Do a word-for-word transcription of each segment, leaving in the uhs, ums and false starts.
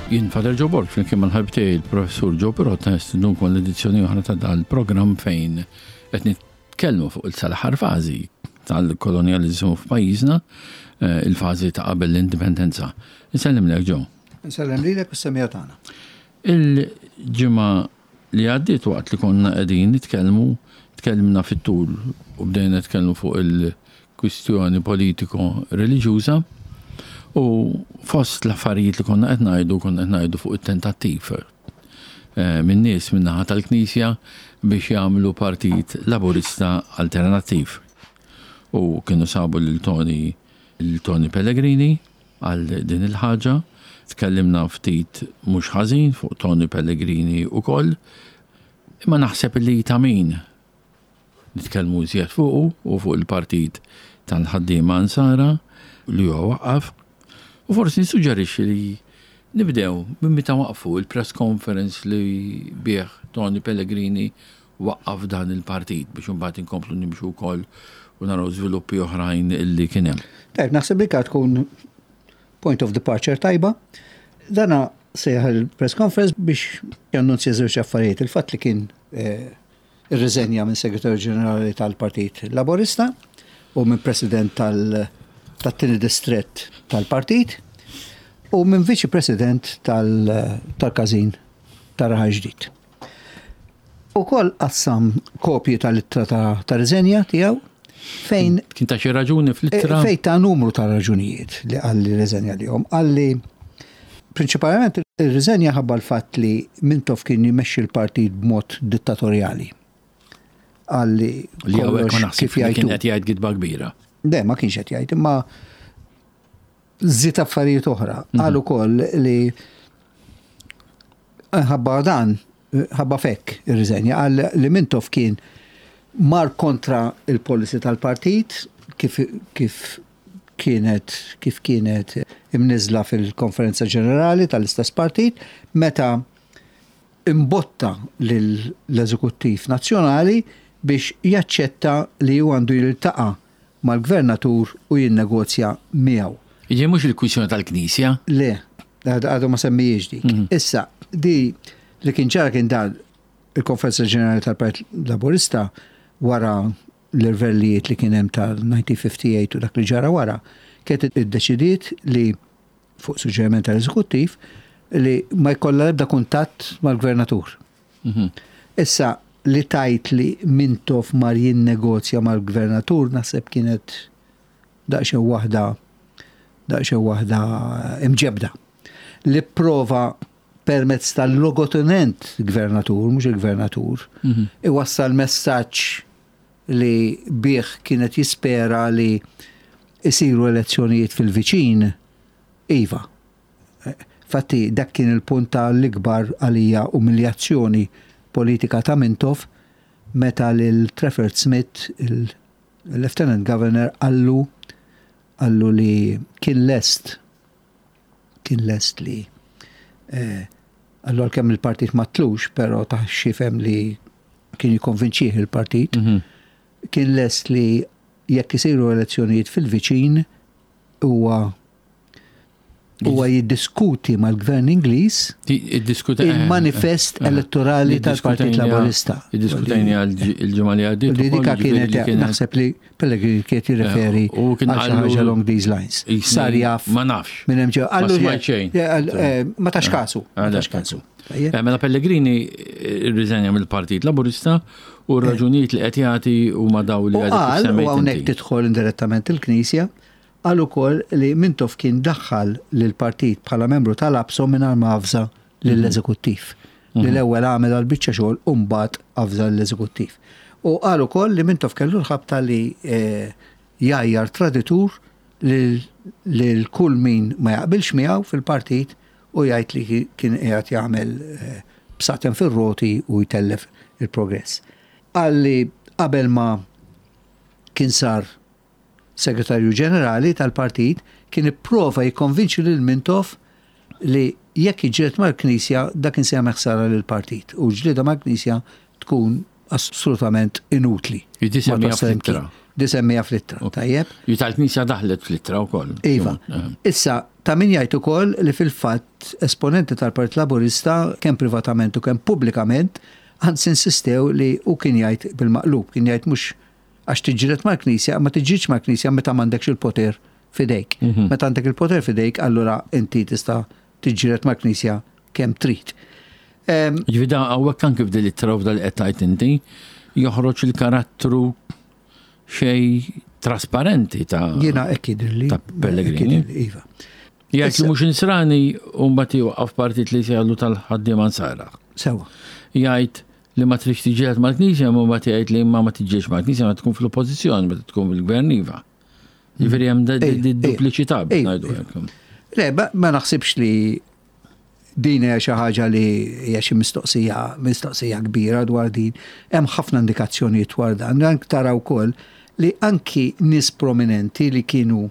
Jien Father Joe Borg, flimkien mal-ħabib tiegħi il-Professur Joe Pirotta, nistednukom l-edizzjoni oħra ta' dal-programm fejn qed nitkellmu fuq il-sal-aħħar fażi tal-kolonjaliżmu f'pajjiżna, eh, il-fażi ta' qabel l-indipendenza. Insellem lek, Joe. Insellem lilek u s-semmiegħa tagħna. Il-ġimgħa li għaddiet, waqt li konna qegħdin nitkellmu, tkellimna fit-tul u bdejna nitkellmu fuq il-kwistjoni politiko-reliġjuża u fost l-affarijiet li konna qed ngħidu, konna qed ngħidu fuq it-tentattiv eh, minn nies min-naħa tal-Knisja biex jagħmlu partit laburista alternattiv. U kienu sabu lil Tony lil Tony Pellegrini għal din il-ħaġa. Tkellimna ftit mhux ħażin fuq Tony Pellegrini ukoll. Imma naħseb li ta' min nitkellmu iżjed fuqu u fuq il-partit tal-ħaddiema Nsara li huwa waqqaf. U forsi nissuġġerixxi li nibdew minn meta waqfu il-press conference li bih Tony Pellegrini waqqaf dan il-partit, biex imbagħad inkomplu nimxu wkoll u naraw żviluppi oħrajn illi kien hemm. Tajb, naħseb li tkun point of departure tajba. Dana sejjaħ il-press conference biex jannunzja żewġ affarijiet. Il-fatt li kien eh, irriżenja minn segretarju ġenerali tal-Partit Laborista u minn president tal- tat-tieni distrett tal-partit u minn viċi president tal-każin ta' Raħal Ġdid. Ukoll qassam kopji tal-ittra ta' ta' riżenja tiegħu fejn Kien ta' xi raġuni fl-ittra? Fejn ta numru ta' raġunijiet li qalli riżenja li jom. Qalli prinċipalment ir-riżenja ħabba l-fatt li Mintoff kien jmexxi l-partit b'mod dittatorjali. Qalli Li hawnhekk ma kollox naħseb kif li kien jgħidu. qed jgħid gidba kbira. Le, ma kienx qed jgħid, imma żied affarijiet oħra. Qal ukoll li ħabba dan, ħabba fekk ir-riżenja, qal li Mintoff kien mar kontra il-policy tal-partit kif, kif kienet kif kienet imniżla fil-konferenza ġenerali tal-istess partit meta imbotta l-eżekuttiv nazzjonali biex jaċċetta li hu għandu jiltaqa' mal-gvernatur u jinnegozja miegħu. Jiġi mhux il-kwistjoni tal-Knisja? Le, għadu ma semmijiex dik. Issa, di li kien ġara kien dan: il-Konferenza Ġenerali tal-Partit Laburista, wara l-irvellijiet li kien hemm tal-elf disa' mija u ħamsa u ħamsin u dak li ġara wara, kienet iddeċidiet li fuq suġġeriment tal-eżekuttiv li ma jkollha l-ebda kuntatt mal-gvernatur. Issa, li tajt li Mintoff mar jinnegozja mal-gvernatur naħseb kienet daqsxejn waħda daqsxejn waħda imġebda. Li prova permezz tal-logotenent gvernatur, mhux il-gvernatur, iwassal messaġġ li bih kienet jispera li isiru elezzjonijiet fil-viċin, iva. Fatti, dak kien il-punt tal-ikbar għalija umiljazzjoni politika ta' Mintoff meta lil Trafford Smith, il-Lieutenant Governor, qallu qallu li kien lest kien lest li eh, qallu għalkemm il-partit ma tlux, pero ta' xifem li kien jikonvinċih il-partit, kien lest li jekk isiru elezzjonijiet fil-viċin huwa huwa jiddiskuti mal-gvern Ingliż Iddiskuta il-manifest elettorali tal-Partit Laburista. Iddiskutejna il-ġimgħa li għaddiet. Li ukoll, dika ġifieri kienet li naħseb li Pellegrini kienet jirreferi Eh, u kien għal xi qallu- ħaġa along these lines. Jisni- Sar jaf Ma nafx. minn hemm ġew. Ma Qallu smajt xejn. eh, Ma tax kasu. Ma Għalhekk. tax kasu. Tajjeb? Eh, Mela Pellegrini irriżenja mill-Partit Laburista u r-raġunijiet li qed jagħti huma daw li U għadek kif qal, u semmejt hawnhekk inti. tidħol indirettament il-Knisja, qal ukoll li Mintoff kien daħħal lill-partit bħala membru tal-APSO mingħajr ma avża lill-eżekuttiv. Li l-ewwel għamel għal biċċa xogħol u mbagħad avża l-eżekuttiv. U qal ukoll li Mintoff kellu l-ħabta li eh, jgħajjar traditur lil lil kull min ma jaqbilx miegħu fil-partit u jgħid li kien qiegħed jagħmel eh, bsaten fir-roti u jtellef il-progress. Qal li qabel ma kien sar segretarju ġenerali tal-partit kien ipprova jikkonvinċi lil Mintoff li jekk jiġġieled mal-Knisja, dak kien se jagħmel ħsara lill-partit u ġlieda mal-Knisja tkun assolutament inutli. Jiġi Ma semmija twassal fl-ittra. imkien. Di semmija fl-ittra, tajjeb? Ju tal-Knisja daħlet fl-ittra wkoll. Iva. Issa, ta' min jgħid ukoll li fil-fatt esponenti tal-Partit Laburista kemm privatament u kemm pubblikament anzi insistew li u kien jgħid bil-maqlub, kien jgħid mhux għax tiġġieled mal-Knisja, ma tiġġielidx mal-Knisja meta m'għandekx il-poter fidejk. Meta għandek il-poter fidejk, allura inti tista' tiġġieled mal-Knisja kemm trid. Ġifieri da hawnhekk anke f'din l-ittra u f'dal qed tgħid inti joħroġ il-karattru xej trasparenti ta' Jiena hekk jidhirli. Ta' Pellegrini. Hekk jidhirli, iva. Jgħid li mhux Nisrani u mbagħad jwaqqaf partit li jsejħlu tal-ħaddiema Nsara. Sewa. Jgħid li ma tridx tiġġieled mal-Knisja, ma mbagħad jgħid li ma ma tiġġielx mal-Knisja ma tkun fl-oppożizzjoni meta tkun fil-gvern iva. Ġifieri hemm Ej, di dupliċità biex ej, ngħidu ej. hekk. Le, ma ma naħsibx li din hija xi ħaġa li hija xi mistoqsija mistoqsija kbira dwar din. Hemm ħafna indikazzjonijiet dwar dan. Dan tara wkoll li anki nies prominenti li kienu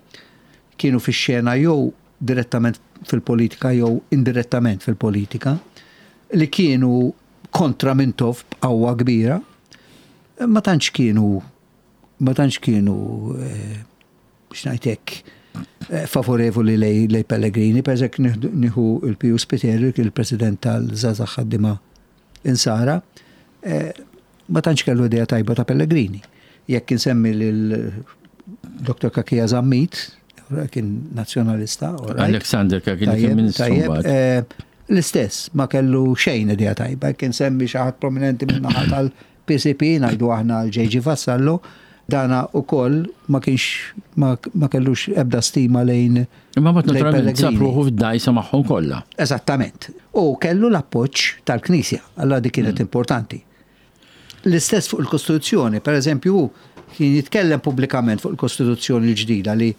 kienu fix-xena jew direttament fil-politika jew indirettament fil-politika li kienu kontra Mintoff b'qawwa kbira, ma tantx kienu ma tantx kienu eh, biex ngħid hekk eh, favorevoli lej, lej Pellegrini, per eżempju nieħu il-Piju Spiteri, il-president tal-Żgħażagħ Ħaddiema Insara, eh, ma tantx kellu idea tajba ta' Pellegrini. Jekk insemmi lil Dottor Cachia Zammit, kien nazzjonalista, all right. Alexander Cachia li kien Tajjeb, ministru tajjeb, mbagħad. eh, L-istess, ma kellu xejn idea tajba, kien semmi xi ħadd prominenti minn naħa tal-P C P, ngħidu aħna l-J G Vassallo, dana ukoll ma kienx ma, ma kellux ebda stima lejn Imma mbagħad lejn naturalment sab Pellegrini. ruħu fid-dajsa magħhom kollha. Eżattament. U kellu l-appoġġ tal-Knisja, allora dik kienet importanti. L-istess fuq il-Kostituzzjoni, per eżempju, kien jitkellem pubblikament fuq il-Kostituzzjoni l-ġdida li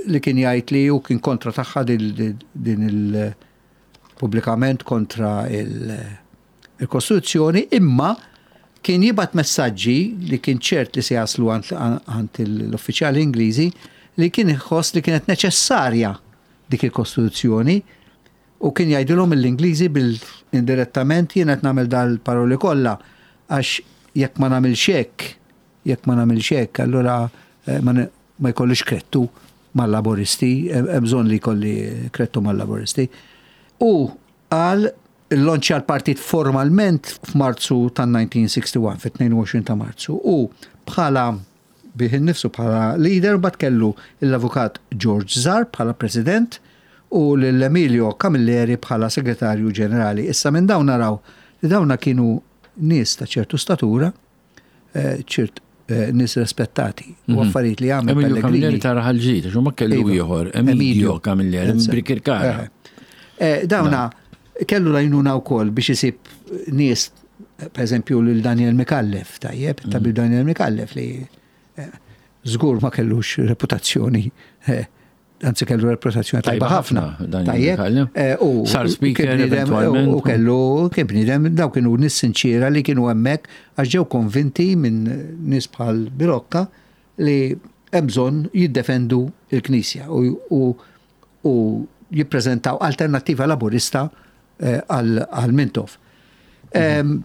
li kien jgħid li hu kien kontra tagħha din din il pubblikament kontra il- il-Kostituzzjoni, imma kien jibgħat messaġġi li kien ċert li se jaslu għand għand l-uffiċjali Ingliżi li kien iħoss li kienet neċessarja dik il-Kostituzzjoni u kien jgħidilhom l-Ingliżi bil-indirettament, jien qed nagħmel dal-paroli kollha għax jekk ma nagħmilx hekk, jekk ma nagħmilx hekk, allura eh, ma ne- ma jkollix krettu mal-Laboristi, hemm bżonn li jkolli krettu mal-Laboristi. U qal illonċja l-partit formalment f'Marzu tan-elf disa' mija u wieħed u sittin, fit-tnejn u għoxrin ta' Marzu, u bħala bih innifsu bħala leader, bat kellu l-avukat George Zarb bħala president u l-Emilio Camilleri bħala segretarju ġenerali. Issa minn dawn naraw li dawna kienu nies ta' ċertu statura, eh, ċert eh, nies rispettati u affarijiet li għamel Emilio Camilleri Pellegrini. ta' Raħal Ġdid, għax ma kellu Iva. ieħor, Emilio Camilleri, Eżatt. Birkirkara. Eh, eh, Dawna kellu l-għajnuna wkoll biex isib nies, per eżempju lil Daniel Micallef, tajjeb, tabib Daniel Micallef li eh, żgur ma kellux reputazzjoni, eh, anzi kellu reputazzjoni tajba Tajba ħafna. ħafna, Daniel Tajjeb, Micallef. eh, u Sar speaker kien bniedem- eventualment. U kellu kien bniedem, daw kienu nies sinċiera li kienu hemmhekk għax ġew konvinti minn nies bħal Bilocca li hemm bżonn jiddefendu il-Knisja u, u, u jippreżentaw alternattiva laburista eh, għal għal Mintoff. Em,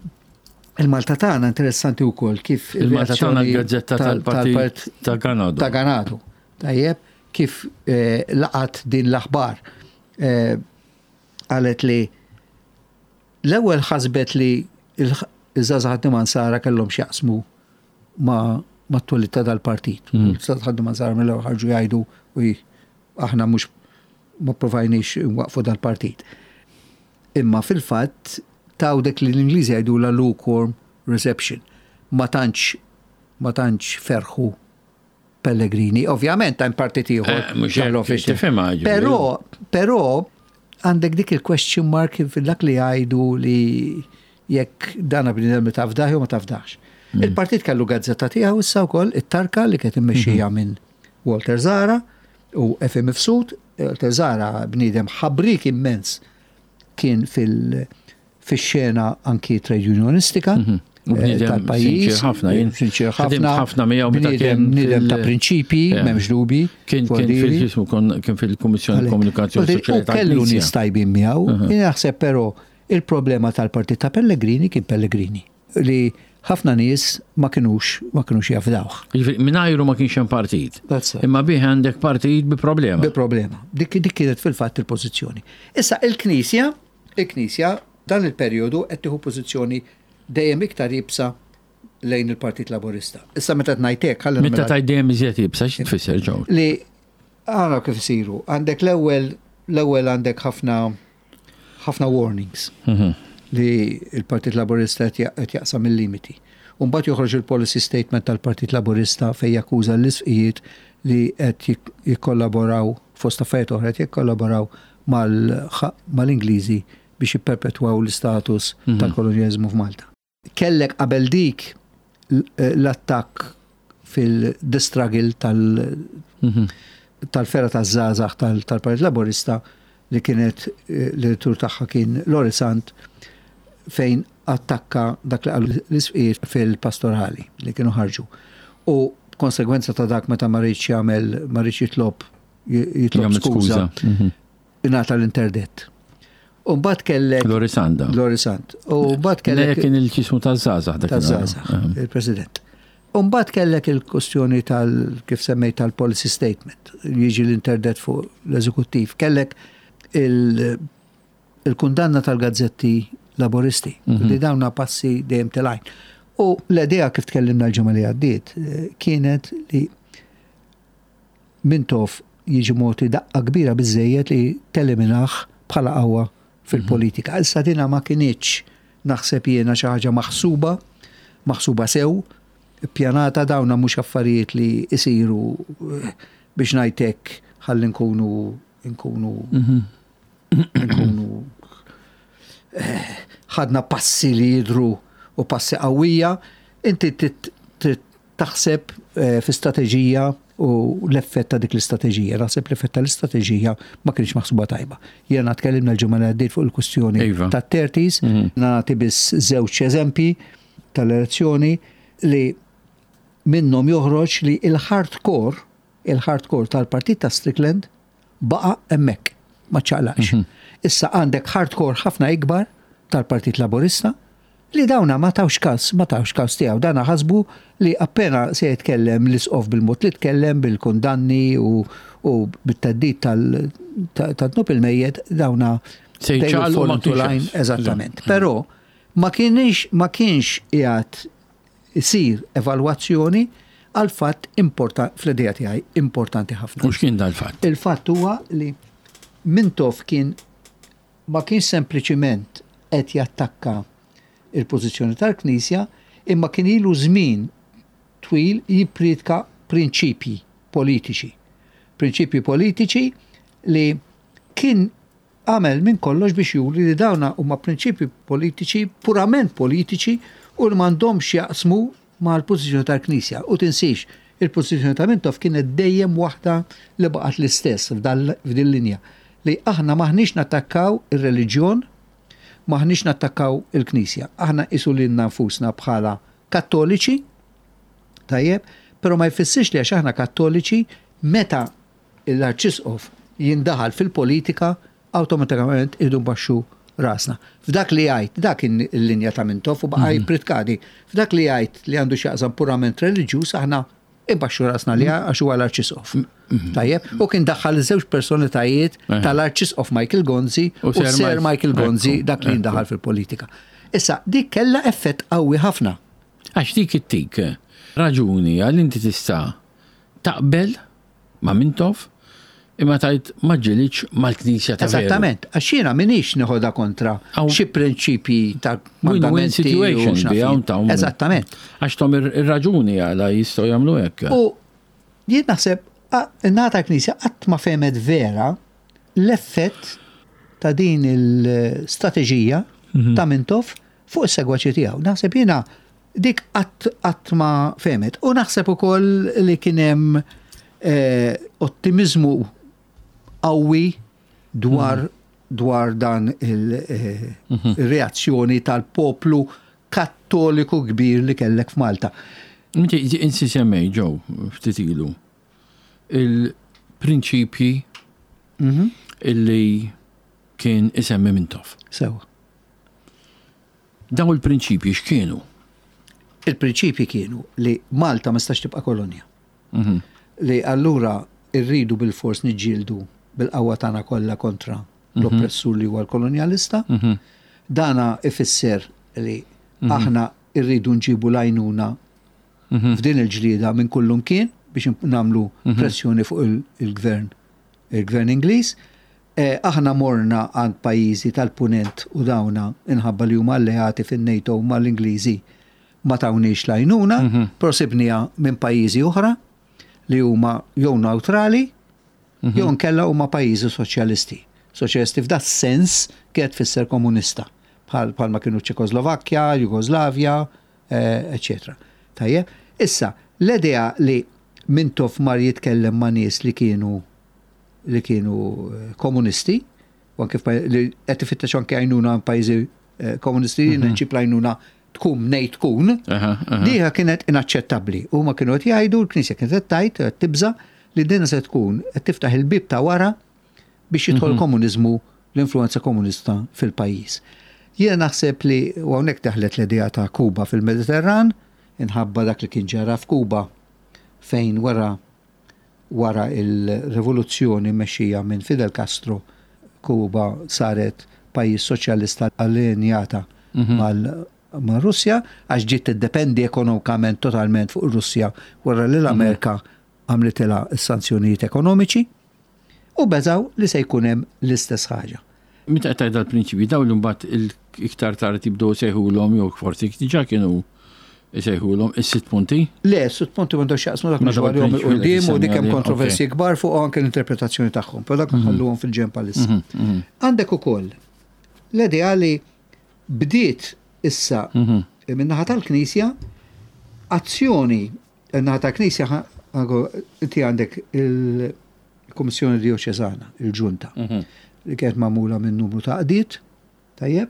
Il-Malta tagħna interessanti wkoll kif Il-Malta tagħna ir-reazzjoni l-gazzetta tal- tal-partit tal-part- ta' Ganado. Ta' Ganado. Tajjeb, kif eh, laqat din l-aħbar eh, qalet li l-ewwel ħasbet li iż-Żgħażagħ Ħaddiema Nsara kellhom x'jaqsmu ma ma t-twelid ta' dal-partit. Mm. Żgħażagħ Ħaddiema Nsara mill-ewwel ħarġu jgħidu u aħna mhux ma provajniex nwaqfu dal-partit. Imma fil-fatt taw dik li l-Ingliżi jgħidu la lukewarm reception. Ma tantx ma tantx ferħu Pellegrini. Ovvjament hemm partit ieħor Eh, mhux hekk, tal-office. tifhimha, ġifieri. Però però għandek dik il-question mark fil-dak li jgħidu li jekk dana bniedem li tafdaħ jew ma tafdax. Mm. Il-partit kellu gazzetta tiegħu issa wkoll, it-Tarka, li kienet immexxija Mhm. minn Walter Zahra u F M Mifsud. Walter Zahra bniedem ħabrik immens, kien fil- fix-xena anki trade unionistika Mhm. U eh, bniedem tal-pajjiż. sinċir ħafna, jien Sinċir ħadimt ħafna. ħafna miegħu meta Bniedem kien bniedem ta' fil- prinċipji, Eh. m'hemmx dubi. Kien kien fil-ġismu kien fil-Kummissjoni Komunikazzjoni U Soċjali kellu tal-Knisja. nies tajbin miegħu. Jien naħseb però il-problema tal-partit ta' Pellegrini kien Pellegrini li Ħafna nies ma kinux ma kinux jafdawh. Jiġifieri, mingħajru ma kienx hemm partit. That's it. Imma bih għandek partit bi problema. Bi problema. Dik, dik kienet fil-fatt il-pożizzjoni. Issa il-Knisja, il-Knisja dan il-perjodu qed tieħu pożizzjoni dejjem iktar iebsa lejn il-Partit Laburista. Issa meta ngħidlek, ħalli Meta nagħmilha- tgħid dejjem iżjed iebsa, xi tfisser, Joe? Li għana kif isiru, għandek l-ewwel l-ewwel għandek ħafna ħafna warnings Mhm. li il-Partit Laburista qed ja- qed jaqsam il-limiti. U mbagħad joħroġ il-policy statement tal-Partit Laburista fejn jakkuża l-isqfijiet li qed jik- jikkollaboraw, fost affarijiet oħra, qed jikkollaboraw mal- mal-Ingliżi biex jipperpetwaw l-istatus Mhm. tal-kolonjalizmu f'Malta. Kellek qabel dik l- l-attakk fil-the struggle tal- Mhm. tal-fergħa taż-żgħażagħ tal- tal-Partit Laburista li kienet eh, l-editur tagħha kien Lorry Sant, fejn attakka dak li qalu l-isqfijiet fil-pastorali li kienu ħarġu. U konsegwenza ta' dak, meta ma riedx jagħmel, ma riedx jitlob jitlob Jagħmel skuża, Mhm. ingħata l-interdett. U mbagħad kellek Lorry Sant. Lorry Sant. U mbagħad Kellek kellek kien il-ċismu taż-żgħażagħ dak. Taż-żgħażagħ, il-President. U mbagħad kellek il-kwestjoni tal kif semmejt tal-policy statement, jiġi l-interdett fuq l-eżekuttiv. Kellek il- il-kundanna tal-gazzetti Laboristi, Mhm. li dawna passi dejjem telgħin. U l-idea, kif tkellimna l-ġimgħa li għaddiet, eh, kienet li Mintoff jiġi mogħti daqqa kbira biżejjed li teliminaħ bħala qawwa fil-politika. Issa dina ma kinitx, naħseb jiena, xi ħaġa maħsuba, maħsuba sew, pjanata. Dawna mhux affarijiet li isiru eh, biex ngħidlek ħalli nkunu nkunu nkunu eh, ħadna passi li jidru u passi qawwija. Inti trid trid taħseb eh, fi strateġija u l-effett ta' dik l-istrateġija. Naħseb l-effett tal-istrateġija ma kienx maħsuba tajba. Jiena tkellimna l-ġimgħa li għaddiet fuq il-kwistjoni Iva. ta' thirties, Mhm. nagħti biss żewġ eżempji tal-elezzjoni li minnhom joħroġ li il-hardcore, il-hardcore tal-partit ta' Strickland baqa' hemmhekk, ma ċaqlaqx. Mhm. Issa għandek hardcore ħafna ikbar tal-Partit Laburista li dawna ma tawx kas, ma tawx kas tiegħu. Dana ħasbu li appena se jitkellem l-isqof bil-mod li tkellem, bil-kundanni u, u bit-theddid tal-dnub il-mejjet, dawna Se they will jċaqalqu fall ma into kienx line. hekk. Eżattament. Però ma kienx ma kienx qiegħed isir evalwazzjoni għal fatt importa fl-idea tiegħi importanti ħafna. U x'kien dal-fatt? Il-fatt huwa li Mintoff kien ma kienx sempliċiment qed jattakka il-pożizzjoni tal-Knisja, imma kien ilu żmien twil jippriedka prinċipji politiċi. Prinċipji politiċi li kien għamel minn kollox biex juri li dawna huma prinċipji politiċi, purament politiċi, u li m'għandhomx jaqsmu mal-pożizzjoni tal-Knisja. U tinsix, il-pożizzjoni ta' Mintoff kienet dejjem waħda li baqgħet l-istess f'din linja, li aħna maħniex nattakkaw ir-reliġjon, maħniex nattakkaw il-Knisja. Aħna nqisu lilna nfusna bħala kattoliċi, tajjeb, pero ma jfissirx li għax aħna kattoliċi, meta l-arċisqof jindaħal fil-politika, awtomatikament irridu nbaxxu rasna. F'dak li jgħid, dak kien il-linja ta' Mintoff u baqa' jippriedka di. F'dak li jgħid li għandu x'jaqsam purament reliġjuż, aħna imbaxxu rasna li għax huwa l-arċisqof. Tajjeb, u kien daħħal żewġ personalitajiet Eh. tal-arċisqof Michael Gonzi U u Sir Sir Mike- Michael Gonzi, Ekku, dak li ekku. jindaħal fil-politika. Issa, dik kella effett qawwi ħafna. Għax dik ittik raġuni għal inti tista' taqbel ma' Mintoff imma tajt ma ġilitx mal-Knisja ta' veru. Eżattament, għax jiena minix neħodha kontra Aw- xi prinċipji ta' Win-win mandamenti u situation x'naf bi jien. hawn ta' Eżattament. Għax tom ir- ir-raġuni għala jistgħu jagħmlu hekk. U jien naħseb in-naħa Knisja qatt ma fehmet vera l-effett ta' din il-strateġija Mhm. ta' Mintoff fuq is-segwaċi tiegħu. Naħseb jiena dik qatt qatt ma fehmet. U naħseb ukoll li kien hemm eh, ottimizmu qawwi dwar dwar dan eh, il-reazzjoni tal-poplu kattoliku kbir li kellek f'Malta. Inti inti semmej, Joe, ftit ilu il-prinċipji Mhm. illi kien isemmi Mintoff. Sewa. Daw il-prinċipji x'kienu? Il-prinċipji kienu li Malta ma stax tibqa' kolonja. Mhm. Li allura irridu bil-fors niġġieldu bil-qawwa tagħna kollha kontra l-oppressur li huwa l-kolonjalista. Mhm. Dana ifisser li aħna irridu nġibu l-għajnuna Mhm. f'din il-ġlieda minn kullum kien biex namlu pressjoni fuq il- il-gvern il-gvern Ingliż. Eh, aħna morna għand pajjiżi tal-punent u dawna inħabba li huma alleati fin-NATO mal-Ingliżi ma tawniex l-għajnuna, però sibniha minn pajjiżi oħra li huma jew neutrali jew nkella huma pajjiżi soċjalisti. Soċjalisti f'dat sens kienet tfisser komunista bħal bħalma kienu Ċekoslovakkja, Jugoslavja, eh, eccetera. Tajjeb, issa l-idea li Mintoff mar jitkellem ma' nies li kienu li kienu eh, komunisti, u anke f'paj- li qed ifittex anke għajnuna pajjiżi eh, komunisti, mm -hmm. nġib l-għajnuna tkun mnej tkun, Aha, aha. Diha kienet inaċċettabbli. Huma kienu qed jgħidu, l-Knisja kienet qed tgħid, qed tibża li dina se tkun qed tiftaħ il-bib ta' wara biex jidħol komuniżmu, l-influenza komunista fil-pajjiż. Jiena naħseb li u hawnhekk daħlet l-idea ta' Kuba fil-Mediterran, inħabba dak li kien ġara f'Kuba fejn wara wara il-rivoluzzjoni mexxija minn Fidel Castro, Kuba saret pajjiż soċjalista allinjata mal ma' Russja, għax ġiet tiddependi ekonomikament totalment fuq Russja wara li l-Amerika għamlitilha s-sanzjonijiet ekonomiċi u beżaw li se jkun hemm l-istess ħaġa. Meta qed tgħid dal-prinċipji dawn li mbagħad il-iktar tard jibdew sejħulhom jew forsi diġà kienu jsejħulhom is-sitt punti. Le, sitt punti m'għandhom x'jaqsmu dak Ma mhux dawn għalihom il-prinċipji li il-qudiem u dik hemm semmi kontroversji kbar fuq anke l-interpretazzjoni tagħhom, però dak nħalluhom fil-ġenb għalissa. Għandek ukoll l-idea li bdiet issa min-naħa tal-Knisja azzjoni min-naħa tal-Knisja ħa- għago, inti għandek il-Kummissjoni Dioċesana, il-Ġunta, li kienet magħmula minn numru ta' għaqdiet, tajjeb,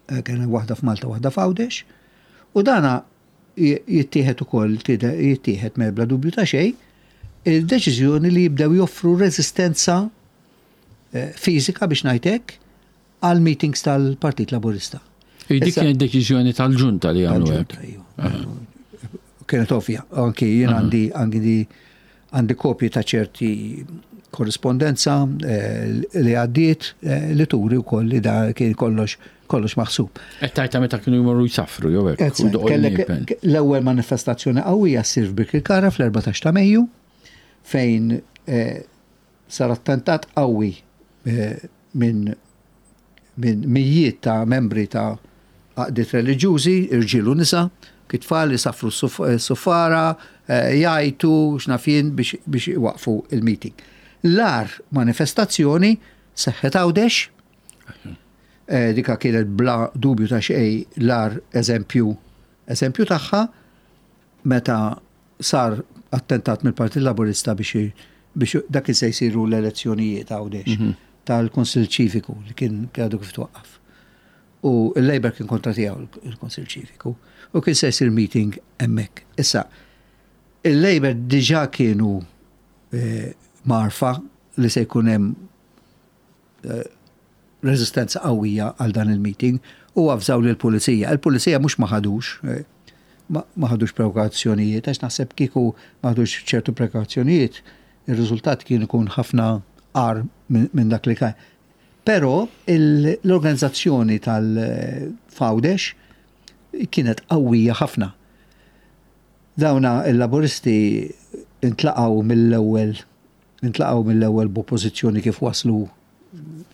eh, kien hemm waħda f'Malta, waħda f'Għawdex, u dana j- jittieħed ukoll tide- jittieħed me bla dubju ta' xejn, il-deċiżjoni li jibdew joffru reżistenza eh, fiżika biex ngħidlek għal meetings tal-Partit Laburista. Dik Issa- kienet deċiżjoni tal-ġunta li għamlu hekk. Tal-ġunta, iva. Kienet ovvja, anki jien għandi għandi għandi kopji ta' ċerti korrispondenza eh, li għaddiet eh, li turi wkoll li da kien kollox kollox maħsub. Qed tgħidha meta kienu jmorru jsafru jew hekk. u Ezzat, doqgħu kellek l-nipen. l-ewwel manifestazzjoni qawwija ssir f'Birkirkara fl-erbatax ta' Mejju fejn eh, sar attentat qawwi eh, minn minn mijiet ta' membri ta' għaqdiet reliġjużi, irġiel u nisa, kitfal li safru s-suffara, eh, jgħajtu, x'naf jien biex, biex iwaqfu il-meeting. L-agħar manifestazzjoni seħħet Għawdex, eh, dika kienet bla dubju ta' xej l-agħar eżempju eżempju tagħha meta sar attentat mill-Partit Laburista biex biex dak se jsiru l-elezzjonijiet Għawdex tal-Kunsill Ċiviku li kien għadu kif twaqqaf. U il-Labour kien kontra tiegħu il-Kunsill Ċiviku u kien se jsir meeting hemmhekk. Issa, il-Labour diġà kienu eh, marfa li se jkun hemm eh, rezistenza qawwija għal dan il-meeting u avżaw lill-pulizija. Il-pulizija mhux ma ħadux, eh, ma ma ħadux prekawzjonijiet, għax naħseb kieku ma ħadux ċertu prekawzjonijiet, il-riżultat kien ikun ħafna agħar minn min dak li kien. Però il- l-organizzazzjoni tal-Għawdex kienet qawwija ħafna. Dawna il-laburisti intlaqgħu mill-ewwel intlaqgħu mill-ewwel b'oppożizzjoni kif waslu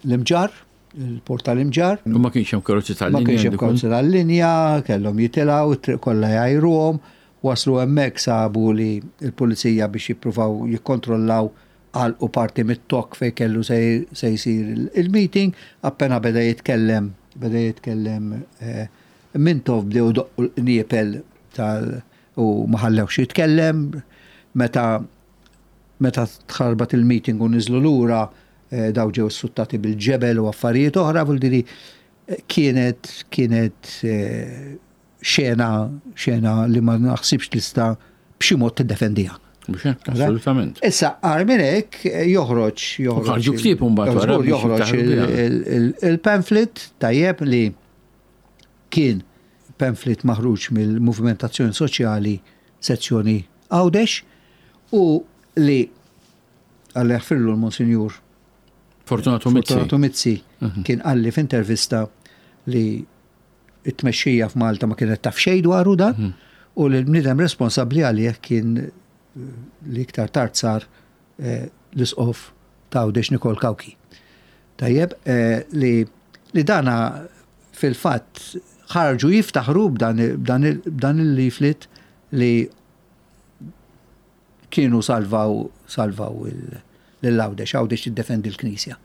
l-Imġarr, il-port tal-Imġarr. U ma kienx hemm karozzi Ma tal-linja. kienx hemm dikun? karozzi tal-linja, kellhom jitilgħu, it-triq kollha jgħajruhom, waslu hemmhekk sabu li l-pulizija biex jippruvaw jikkontrollaw għalqu parti mit-toroq fej kellu se se jsir il- il-meeting, appena beda jitkellem, beda jitkellem eh, Mintoff bdew doqqu l-qniepel tal u ma ħallewx jitkellem, meta meta tħarbat il-meeting u niżlu lura eh, daw ġew suttati bil-ġebel u affarijiet oħra, vuol dire eh, kienet kienet eh, xena xena li ma naħsibx tista' b'xi mod tiddefendiha. Mhux hekk, assolutament. Issa, agħar minn hekk eh, joħroġ joħroġ. ħarġu ktieb imbagħad wara Żgur, biex joħroġ jiftaħru biha. il- il- il-pamphlet tajjeb li kien pamphlet maħruġ mill-Moviment Azzjoni Soċjali sezzjoni Għawdex u li Alla jaħfirlu l-Monsinjur Fortunato Mizzi. Fortunato Mizzi kien qalli f'intervista li it-tmexxija f'Malta ma kienet taf xejn dwaru dan u li l-bniedem responsabbli għalih kien eh, li iktar tard sar eh, l-isqof ta' Għawdex Nikol Cauchi. Tajjeb, eh, li, li dana fil-fatt ħarġu jiftaħru b'dan b'dan il- b'dan il-leaflet li kienu salvaw salvaw lil Għawdex, Għawdex tiddefendi l-Knisja.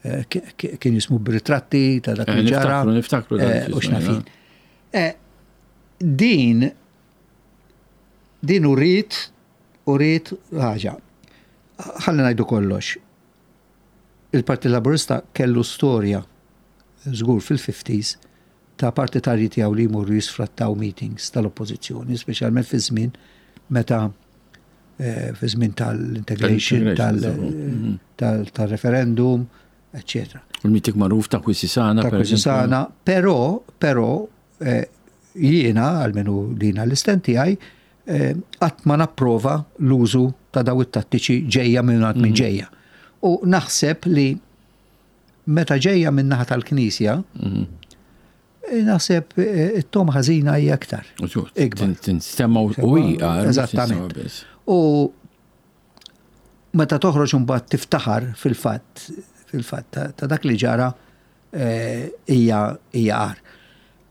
Eh, ki- ki- Kien jismu b'ritratti ta' dak Eh, li ġara. niftakru, niftakru dak eh, li U jismu, x'nafin. Eh, Din din uriet uriet ħaġa. Ħalli ngħidu kollox. Il-Partit Laburista kellu storja żgur fil-fifties ta' partitarji tiegħu li jmorru jisfrattaw meetings tal-oppożizzjoni, speċjalment fi żmien meta eh, fi żmien tal-integration, Tal-integration, tal- tal-referendum, eccetera. Il-meeting magħruf ta' Kwisisana. Ta' per eżempju. Kwisisana, però, però eh, jiena, almenu dina l-istent tiegħi, eh, qatt ma napprova l-użu ta' daw it-tattiċi ġejja minn għand minn ġejja. U naħseb li meta ġejja minn naħa tal-Knisja, Mhm. eh, naħseb eh, it-togħma ħażina hija aktar. Ikbar. Tinstema u hija. Eżattament. U meta toħroġ imbagħad tiftaħar fil-fatt fil-fatt ta- ta' dak li ġara eh, hija hija agħar.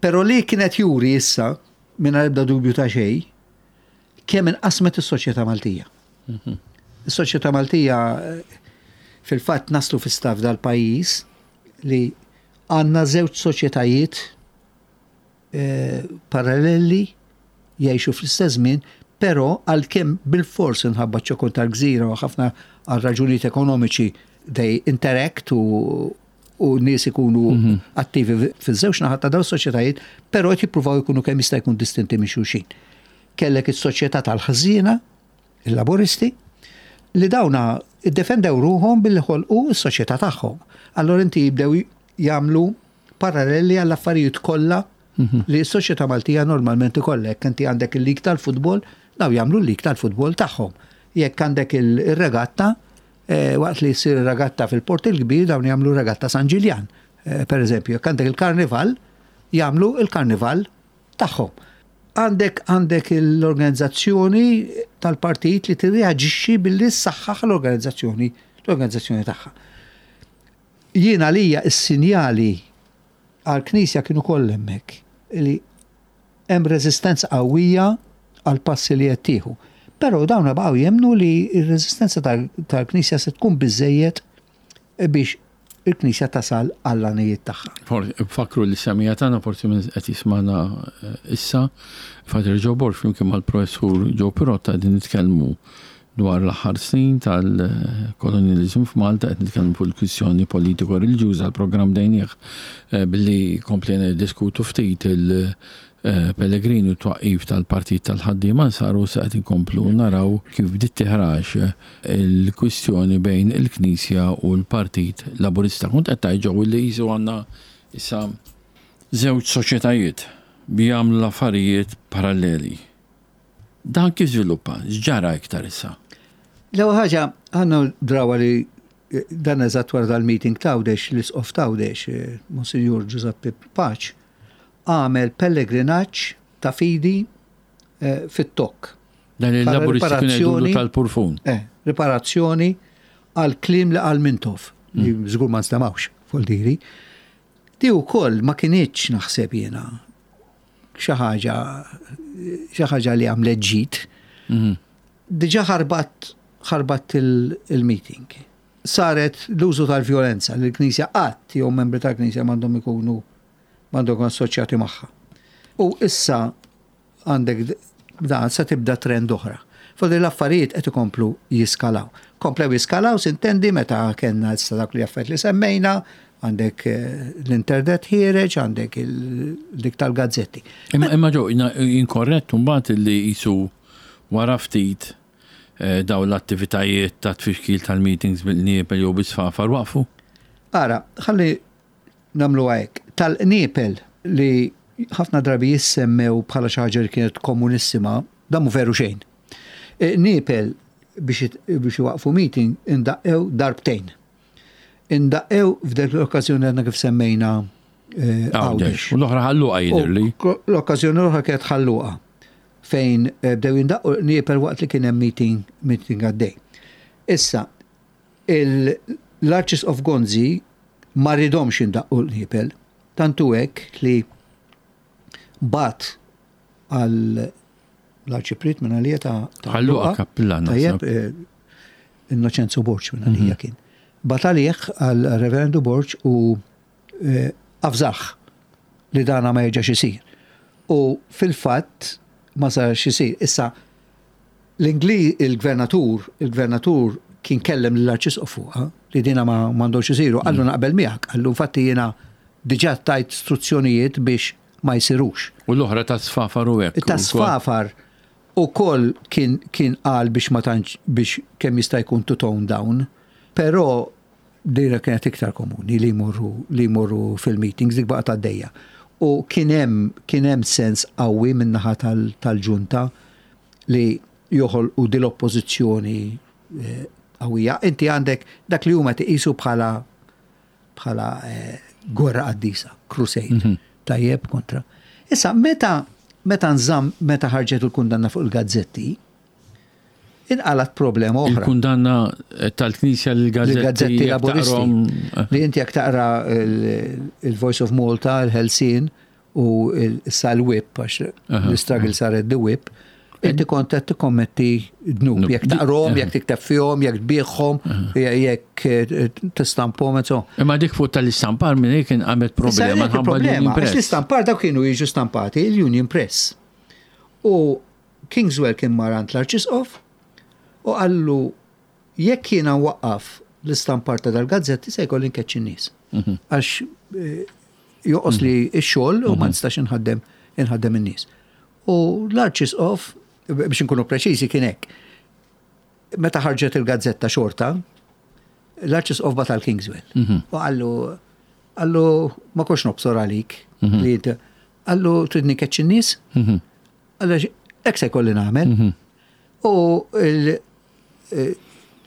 Però li kienet juri issa mingħajr ebda dubju ta' xejn kemm inqasmet is-soċjetà Maltija. Is-soċjetà Maltija eh, fil-fatt naslu fi stat dal-pajjiż li għandna żewġ soċjetajiet eh, paralleli jgħixu fl-istess żmien, però għalkemm bil-fors inħabba ċokon tal-gżira u ħafna għal raġunijiet ekonomiċi they interact u u nies ikunu attivi fiż-żewġ naħat ta' dawn is-soċjetajiet, però qed jippruvaw ikunu kemm jista' jkun distinti minn xulxin. Kellek is-soċjetà tal-ħżiena, il-laboristi, li dawna iddefendew ruħhom billi ħolqu s-soċjetà tagħhom. Allora inti jibdew jagħmlu paralleli għall-affarijiet kollha li s-soċjetà Maltija normalment ikollek. Inti għandek il-lig tal-futbol, daw jagħmlu l-lig tal-futbol tagħhom. Jekk għandek il-regatta, eh, waqt li jsir regatta fil-Port il-Kbir, dawn jagħmlu regatta San Ġiljan. Eh, per eżempju, jekk għandek il-karnival, jagħmlu il-karnival tagħhom. Għandek għandek l-organizzazzjoni tal-partit li tirreaġixxi billi ssaħħaħ l-organizzazzjoni l-organizzazzjoni tagħha. Jiena lija is-sinjali għal-Knisja kienu kollha hemmhekk li hemm reżistenza qawwija għal passi li qed tieħu. Però dawn baqgħu jemnu li r-reżistenza tal-Knisja se tkun biżejjed biex il-Knisja tasal għall-għanijiet tagħha. Fakru li semija tagħna forsi minn qed jismana eh, issa, Father Joe Borg flimkien mal-professur Joe Pirotta qegħdin nitkellmu dwar l-aħħar snin tal-kolonializmu f'Malta, qed nitkellmu fuq il-kwistjoni politiko-reliġjuża. L-programm bdejnieh eh, billi komplejna diskutu ftit il-Pellegrini u twaqqif tal-Partit tal-Ħaddiema saru sa qed inkomplu naraw kif bdiet tiħrax il-kwistjoni bejn il-Knisja u l-Partit Laburista. Kont qed tgħid, Joe, li qisu għandna issa żewġ soċjetajiet bi jagħmlu l-affarijiet paralleli. Dan kif żviluppa? X'ġara iktar issa? L-ewwel ħaġa għandna drawa li eh, dan eżatt wara dal-meeting t'Għawdex, l-isqof t'Għawdex, eh, Monsignor Giuseppe Pace, għamel pellegrinaġġ ta' fidi eh, fit-Tokk. Dan il-Laburisti kienu jgħidulu tal-Purfun. Eh, riparazzjoni għal kliem li għal Mintoff, li żgur ma nstemawx fuq diri. Di wkoll ma kinitx, naħseb jiena, xi ħaġa xi ħaġa li għamlet ġid. Mhm. Diġà ħarbat ħarbat il-meeting. Saret l-użu tal-vjolenza li l-Knisja qatt jew membri tal-Knisja m'għandhom ikunu m'għandhom assoċjati magħha. U issa għandek dan se tibda trend oħra. Fodi l-affarijiet qed ikomplu jiskalaw. Komplew jiskalaw, sintendi, meta kellna issa dak li affarijiet li semmejna, għandek eh, l-internet ħiereġ, għandek dik tal-gazzetti. Imma imma Joe, inkorrett mbagħad li qisu wara ftit eh, daw l-attivitajiet ta' tfixkil tal-meetings bil-qniepel jew bis-sfafar waqfu? Ara, ħalli nagħmlu hekk. Tal-qniepel li Ħafna drabi jissemmew bħala xi ħaġa li kienet komunissima, dan mhu veru xejn. Qniepel biex biex iwaqfu meeting indaqqew darbtejn. Indaqqew f'dik l-okkażjoni għadna kif semmejna Għawdex. U l-oħra Ħal Luqa jidhirli. L-okkażjoni l-oħra kienet Ħal Luqa fejn bdew jindaqqu qniepel waqt li kien hemm meeting meeting għaddej. Issa, l-Arċisqof Gonzi ma ridomx jindaqqu l-qniepel, tantu hekk li bagħat għal l-arċipriet minn għalija ta' Ħal Luqa kappillan. Tajjeb, Innoċenzo Borg minn għalija kien. Bagħat għalih għal Reverendu Borg u avżah li dana ma jerġax isir. U fil-fatt ma sarx isir. Issa, l-Ingli, il-gvernatur, il-gvernatur kien kellem l-arċisqof fuqha li dina ma m'għandhomx isiru, qallu naqbel miegħek, qallu infatti jiena diġà tajt istruzzjonijiet biex ma jsirux. U l-oħra ta' sfafar u hekk. Ta' sfafar u koll kien kien qal biex ma tantx biex kemm jista' jkun to tone down, però dira kienet iktar komuni li jmorru li jmorru fil-meetings, dik baqgħet għaddejja. U kien hemm kien hemm sens qawwi min-naħa tal-ġunta li joħolqu din l-oppożizzjoni qawwija. Inti għandek dak li huma tiqisu bħala bħala gwerra qaddisa, crusade, tajjeb kontra. Issa, meta meta nżamm meta ħarġet il-kundanna fuq il-gazzetti, inqalat problema oħra. Il-kundanna tal-Knisja lill-gazzetti Laburisti. Li inti jekk taqra il-Voice of Malta, il-Ħelsien u issa l-Whip, għax l-struggle saret the Whip, inti kont qed tikkommetti dnub. Jekk taqrom, jekk tikteb fihom, jekk tbiegħhom, jekk tistampahom, et so. Imma dik fuq tal-istampar minn hekk inqamet problema ħabba l-Union Press. L-istampar dawk kienu jiġu stampati il-Union Press. U Kingswell kien mar għand l-Arċisqof u qallu jekk jiena nwaqqaf l-istampar ta' dal-gazzetti se jkolli nkeċċi n-nies. Għax joqos li x-xogħol u ma nistax inħaddem inħaddem in-nies. U l-Arċisqof, biex nkunu preċiżi, kien hekk. Meta ħarġet il-gazzetta xorta, l-Arċisqof bagħat għal Kingswell. U qallu qallu ma kontx nobsor għalik li inti qallu tridni nkeċċi n-nies? Qallu hekk se jkolli nagħmel. U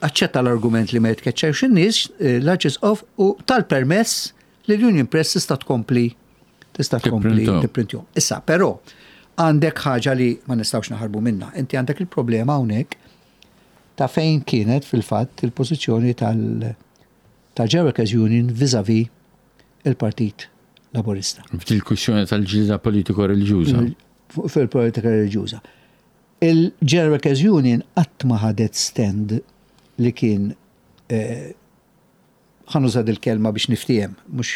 aċċetta l-argument li ma jitkeċċewx in-nies l-Arċisqof u tal-permess li l-Union Press tista' tkompli tista' tkompli tipprintjhom. Issa, però għandek ħaġa li ma nistgħux naħarbu minna. Inti għandek il-problema hawnhekk ta' fejn kienet fil-fatt il-pożizzjoni tal-General Workers Union vis-à-vis il-Partit Laburista. Fil-kwistjoni tal-ġlieda politiko-reliġjuża. Fil-politika reliġjuża. Il-General Workers Union qatt ma ħadet stand li kien, ħa nuża il-kelma biex niftiehem, mhux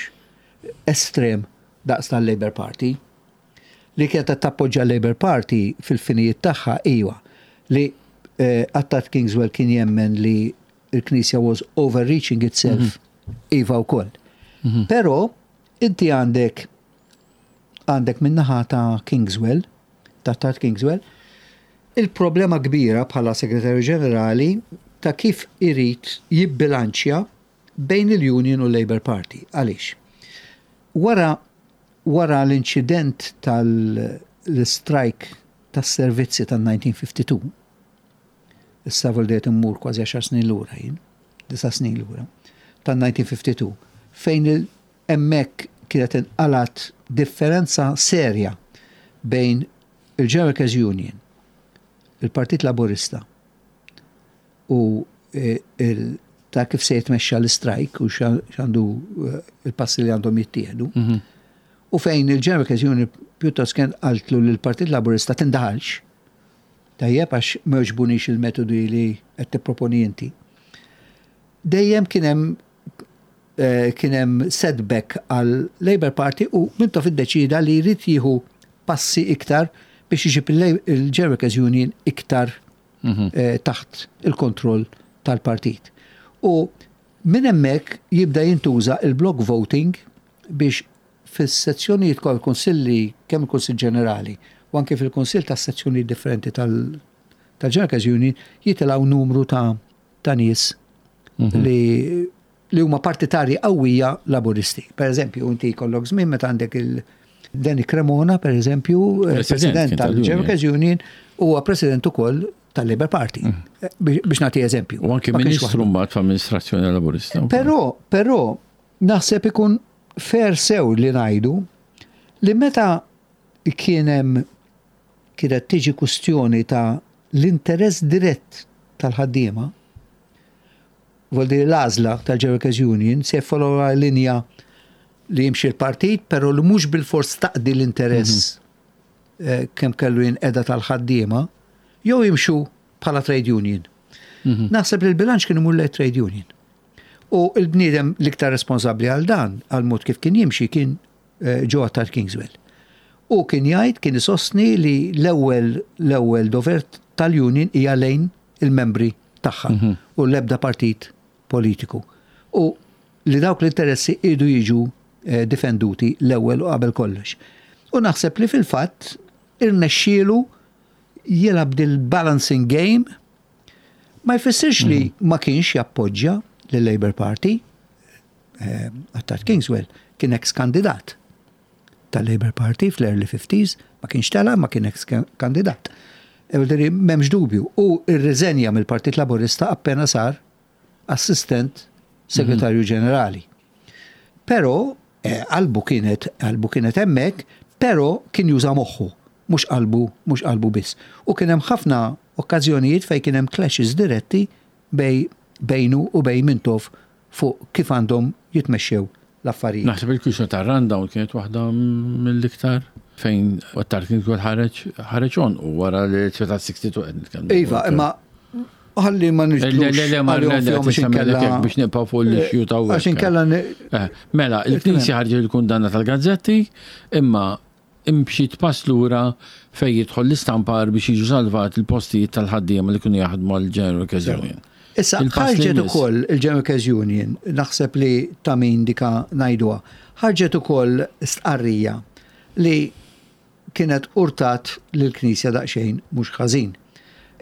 estrem daqs tal-Labour Party, li kienet tappoġġa l-Labour Party fil-finijiet tagħha, iwa, li Attard Kingswell kien jemmen li l-Knisja was overreaching itself, iva wkoll. Però inti għandek għandek min-naħa ta' Kingswell, ta' Attard Kingswell, il-problema kbira bħala segretarju ġenerali ta' kif irid jibbilanċja bejn il-Union u l-Labour Party. Għaliex? Wara wara l-inċident tal-strike tas-servizzi tal-elf disa' mija u tnejn u ħamsin, issa voldiet immur kważi għaxar snin lura jien, disa' snin lura, tal-elf disa' mija u tnejn u ħamsin, fejn hemmhekk kienet inqalat differenza serja bejn il-General Workers Union, il-Partit Laburista u ta' kif se jitmexxa l-strike u x'għandu il-passi li għandhom jittieħdu. U fejn il-General Workers Union pjuttost kien qaltlu lill-Partit Laburista tindaħalx. Tajjeb, għax ma jogħġbunix il-metodi li qed tipproponi inti. Dejjem kien hemm kien hemm setback għal Labour Party u Mintoff iddeċida li jrid jieħu passi iktar biex iġib il-General Workers Union iktar taħt il-kontroll tal-partit. U minn hemmhekk jibda jintuża il-block voting biex fis-sezzjonijiet kol kunsilli, kemm il-Kunsill Ġenerali u anke fil-kunsill ta' sezzjonijiet differenti tal-General Workers Union jitilgħu numru ta' ta' nies li li huma partitarji qawwija Laburisti. Per eżempju, inti jkollok żmien meta għandek Danny Cremona, per eżempju, eh, president tal-General Workers Union, huwa president ukoll tal-Labour Party. Mm. Eh, biex nagħti eżempju. U anke ministru mbagħad f'amministrazzjoni laburista. Però, però naħseb ikun fair sew li ngħidu li meta kien hemm kienet tiġi kustjoni ta' l-interess dirett tal-ħaddiema, vuol l-għażla tal-General Workers Union se follow linja li jimxi l-partit, pero li mhux bil-fors taqdi l-interess mm -hmm. kemm kellu jinqeda tal-ħaddiema, jew jimxu bħala trade union. Mm -hmm. Naħseb li l-bilanċ kien imur trade union. U il-bniedem l-iktar responsabli għal dan, għal mod kif kien jimxi, kien eh, Joe Attard Kingswell. U kien jgħid, kien isostni li l-ewwel l-ewwel dover tal-union hija lejn il-membri tagħha mm -hmm. u l-ebda partit politiku. U li dawk l-interessi idu jiġu eh, difenduti l-ewwel u qabel kollox. U naħseb li fil-fatt irnexxielu jilgħab dil-balancing game, ma jfissirx li mhm. ma kienx jappoġġja l-Labour Party. eh, Attard Kingswell kien ex-kandidat tal-Labour Party fl-early fifties, ma kienx tela, ma kien ex-kandidat. M'hemmx dubju. U irriżenja mill-Partit Laburista appena sar assistent segretarju mhm. ġenerali. Però eh, qalbu kienet qalbu kienet hemmhekk, però kien juża moħħu, mhux qalbu, mhux qalbu biss. U kien hemm ħafna okkażjonijiet fejn kien hemm clashes diretti bej bejnu u bejn Mintoff fuq kif għandhom jitmexxew l-affarijiet. Naħseb il-kwistjoni ta' rundown kienet waħda mill-iktar fejn Attard kien kol ħareġ ħareġ on u wara li ta' sittaħxi qed nitkellmu. Iva, imma ħalli ma nġdlux. Le, le, le, ma le, le, biex nibqgħu fuq l-issue ta' Għax inkella. Eh, mela, il-Knisja ħarġet il-kundanna tal-gazzetti, imma imxiet pass lura fej jidħol l-istampar biex jiġu salvat il-postijiet tal-ħaddiema li kienu jaħdmu għal-General Workers Union. Issa, ħarġet ukoll il-General Workers Union, naħseb li ta' min dika ngħiduha, ħarġet ukoll stqarrija li kienet urtat lill-Knisja daqsxejn mhux ħażin.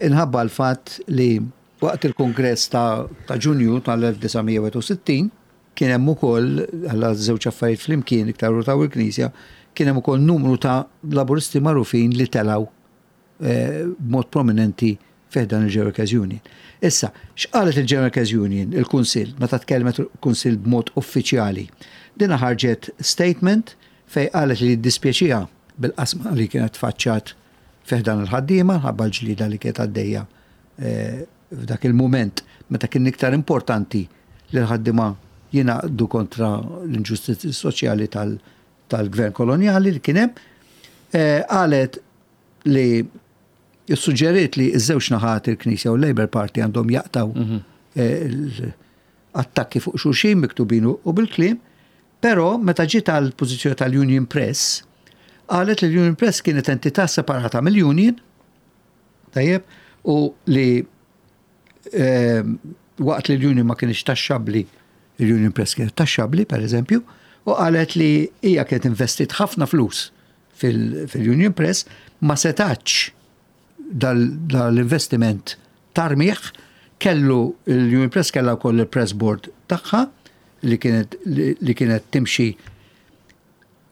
Inħabba l-fatt li waqt il-kongress ta', ta Ġunju tal-elf disa' mija u wieħed u sittin kien hemm ukoll, għalla żewġ affarijiet flimkien iktar urtaw il-Knisja, kien hemm ukoll numru ta' laburisti magħrufin li telaw eh, b'mod prominenti fi ħdan il-General Workers Union. Issa, x'qalet il-General Workers Union, il-Kunsill, meta tkellmet il-Kunsill b'mod uffiċjali? Dina ħarġet statement fej qalet li dispjaċiha bil-qasma li kienet faċċat fi ħdan il-ħaddiema, ħabba l-ġlida li kienet għaddejja eh, f'dak il-moment meta kien iktar importanti li l-ħaddiema jingħaqdu kontra l-inġustizzi soċjali tal-gvern koloniali li kien hemm. Eh, qalet li suġġeriet li ż-żewġ naħat, il-Knisja u l-Labour Party, għandhom jaqtaw mhm. eh, attakki fuq xulxin miktubin u bil-kliem, però meta ġiet għal pożizzjoni tal-Union Press, qalet li l-Union Press kienet entità separata mill-Union, tajjeb, u li eh, waqt li l-Union ma kienx taxxabli, l-Union Press kienet taxxabli, per eżempju, u qalet li hija kienet investit ħafna flus fil-Union Press, ma setax dal-investiment tarmiħ, kellu l-Union Press kellha wkoll il-press board tagħha li kienet li kienet timxi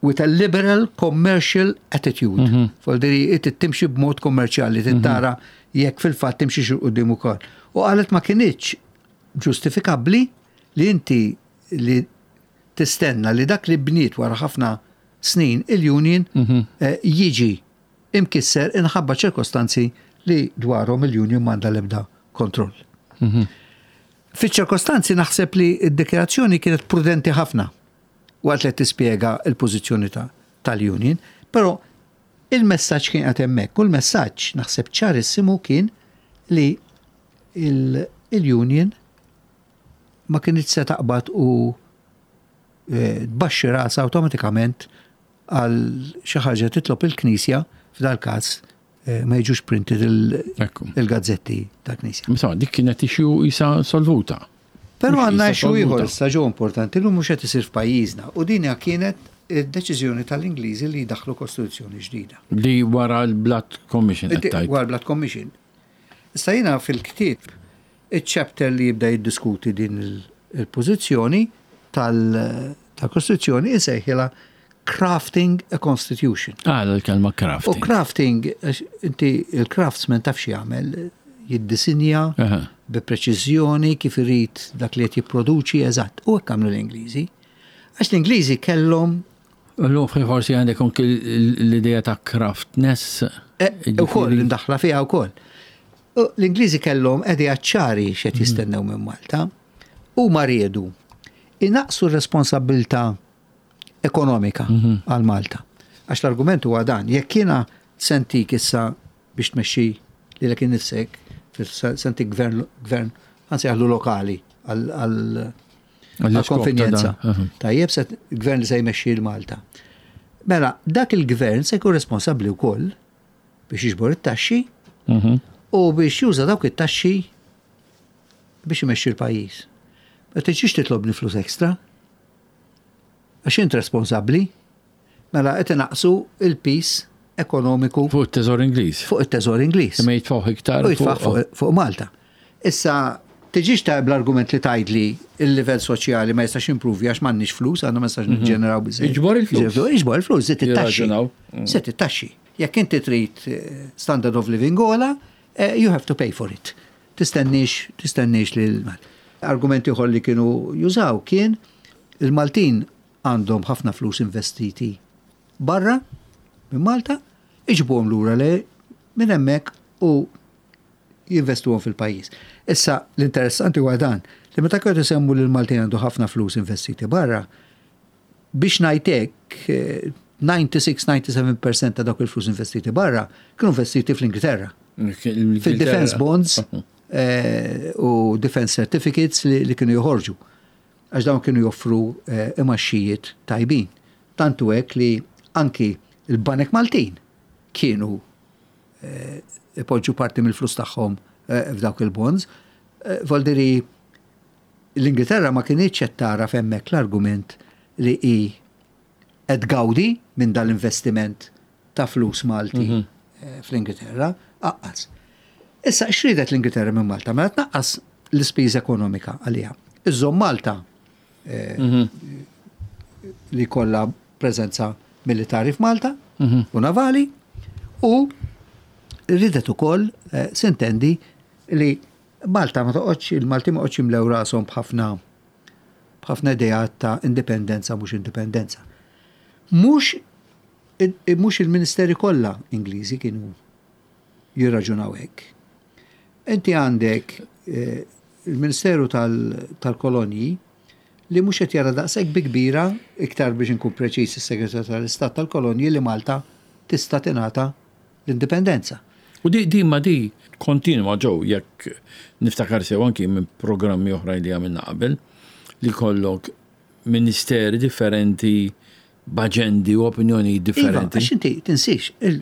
with a liberal commercial attitude. Mm -hmm. Timxi b'mod kommerċjali, tara jekk fil-fatt timxi xi quddiem ukoll. U qalet ma kinitx ġustifikabbli li inti li tistenna li dak li bniet wara ħafna snin il-union mm -hmm. jiġi imkisser inħabba ċirkostanzi li dwarhom il-union m'għandha l-ebda kontroll. Mm -hmm. Fiċ-ċirkostanzi naħseb li d-dikjarazzjoni kienet prudenti ħafna waqt li tispjega il-pożizzjoni tal-union, però il-messaġġ kien qed hemmhekk u l-messaġġ naħseb ċarissimu kien li il-union ma kienx se taqbad u eh, tbaxxi rasa awtomatikament għal xi ħaġa titlob il-Knisja, f'dal każ eh, ma jiġux printed il-gazzetti ta' Knisja. Insomma, dik kienet issue issa solvuta. Però għandna issue ieħor issa ġo importanti li mhux qed isir f'pajjiżna u din kienet id-deċiżjoni tal-Ingliżi li jdaħlu kostituzzjoni ġdida. Li wara l-Blood Commission. Wara l-Blood Commission. Issa jiena fil-ktieb, il-chapter li jibda jiddiskuti din il-pożizzjoni tal-Kostituzzjoni, isejħilha Crafting a Constitution. Ah, l-kelma U crafting. crafting, għax inti il-craftsman taf x'jagħmel, jiddisinja Aha. bi preċiżjoni kif irid dak li qed jipproduċi eżatt. U hekk għamlu l-Ingliżi. Għax l-Ingliżi kellhom L forsi għandek anki l-idea ta' craftness. Eh, Ukoll, imdaħla fiha wkoll. U l-Ingliżi kellhom idea ċari x'qed jistennew minn Malta u ma riedu inaqsu r-responsabilità ekonomika għal Malta. Għax l-argument huwa dan, jekk jiena se ntik issa biex tmexxi lilek innifsek, se ntik gvern, gvern ħa lokali għal għal konvenjenza. Tajjeb, se gvern li se jmexxi l-Malta. Mela, dak il-gvern se jkun responsabbli wkoll biex jiġbor it-taxxi u biex juża dawk it-taxxi biex imexxi l-pajjiż. Ma tiġix titlobni flus ekstra. Għax int responsabbli. Mela qed inaqsu il-piż ekonomiku Fuq it-teżor Ingliż. Fuq it-teżor Ingliż. Imma jitfgħu iktar. U jitfaħ fuq fuq Malta. Issa, tiġix ta' bl-argument li tgħidli il-livell soċjali ma jistax improvi għax m'għandniex flus, għandna ma jistax niġġeneraw biżejjed. Iġbor il-flus. Iġbor il-flus, żid it-taxxi. Jirraġunaw. Żid it-taxxi. Jekk inti trid eh, standard of living ogħla, eh, you have to pay for it. Tistenniex, tistenniex li l Argumenti oħra li kienu jużaw kien il-Maltin għandhom ħafna flus investiti barra minn Malta, iġibuhom lura le minn hemmhekk u jinvestuhom fil-pajjiż. Issa l-interessanti huwa dan li meta kienu isemmu li l-Maltin għandu ħafna flus investiti barra, biex ngħidlek eh, disgħa u disgħin-disgħa u sebgħin fil-mija ta' dawk il-flus investiti barra kienu investiti fl-Ingilterra. Fil-defense bonds eh, u defense certificates li, li kienu joħorġu. Għax dawn kienu joffru eh, imgħaxijiet tajbin. Tantu hekk li anki il-Banek Maltin kienu eh, ipoġġu parti mill-flus tagħhom eh, f'dawk il-bonds. Eh, Voldiri l-Ingilterra ma kinitx qed tara f'hemmhekk l-argument li hi qed tgawdi minn dal-investiment ta' flus Malti eh, fl-Ingilterra, aqqas. Issa, x'ridet l-Ingilterra minn Malta? Mela tnaqqas l-ispiża ekonomika għaliha. Iżżomm Malta eh, li kollha preżenza militari f'Malta u navali u ridet ukoll eh, sintendi li Malta ma toqgħodx, il-Malti ma toqgħodx jimlew rashom b'ħafna b'ħafna ideat ta' indipendenza, mhux indipendenza. Mhux mhux il-ministeri kollha Ingliżi kienu jirraġunaw hekk. Inti għandek eh, il-Ministeru tal-Kolonji li mhux qed jara daqshekk bi kbira, iktar biex inkun preċiż is-Segretarju tal-Istat tal-Kolonji, li Malta tista' tingħata l-indipendenza. U di, di ma di kontinwa ġew, jekk niftakar sew, anki minn programmi oħra li għamilna qabel, li kollok ministeri differenti b'aġendi u opinjoni Iva, differenti. għax inti tinsix, il-